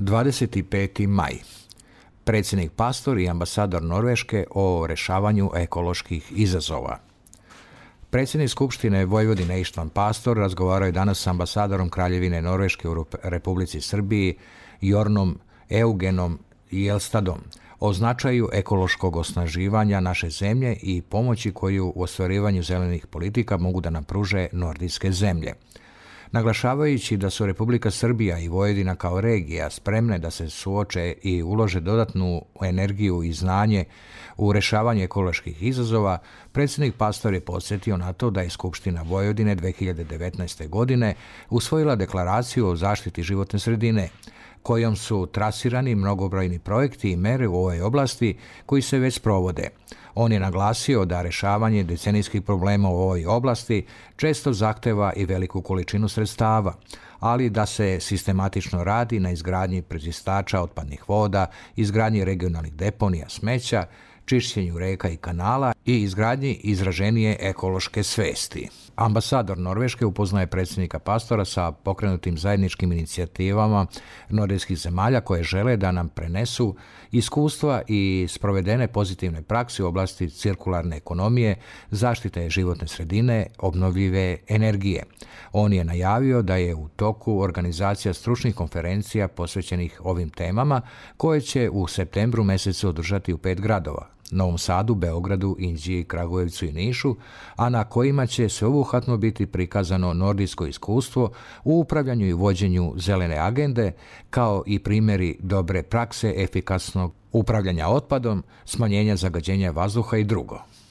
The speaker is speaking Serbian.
25. maj. Predsjednik Pastor i ambasador Norveške o rješavanju ekoloških izazova. Predsjednik Skupštine Vojvodine Ištvan Pastor razgovarao je danas s ambasadorom Kraljevine Norveške u Republici Srbiji Jornom Eugenom Jelstadom o značaju ekološkog osnaživanja naše zemlje i pomoći koju u ostvarivanju zelenih politika mogu da nam pruže nordijske zemlje. Naglašavajući da su Republika Srbija i Vojvodina kao regija spremne da se suoče i ulože dodatnu energiju i znanje u rješavanju ekoloških izazova, predsjednik Pastor je podsjetio na to da je Skupština Vojvodine 2019. godine usvojila deklaraciju o zaštiti životne sredine, kojom su trasirani mnogobrojni projekti i mere u ovoj oblasti koji se već sprovode. On je naglasio da rješavanje decenijskih problema u ovoj oblasti često zahteva i veliku količinu sredstava, ali da se sistematično radi na izgradnji prečistača otpadnih voda, izgradnji regionalnih deponija smeća, čišćenju reka i kanala i izgradnji izraženije ekološke svesti. Ambasador Norveške upoznaje predsjednika Pastora sa pokrenutim zajedničkim inicijativama nordijskih zemalja koje žele da nam prenesu iskustva i sprovedene pozitivne prakse u oblasti cirkularne ekonomije, zaštite životne sredine, obnovljive energije. On je najavio da je u toku organizacija stručnih konferencija posvećenih ovim temama koje će u septembru mjesecu održati u 5 gradova: Novom Sadu, Beogradu, Inđiji, Kragujevcu i Nišu, a na kojima će sveobuhvatno biti prikazano nordijsko iskustvo u upravljanju i vođenju zelene agende, kao i primjeri dobre prakse efikasnog upravljanja otpadom, smanjenja zagađenja vazduha i drugo.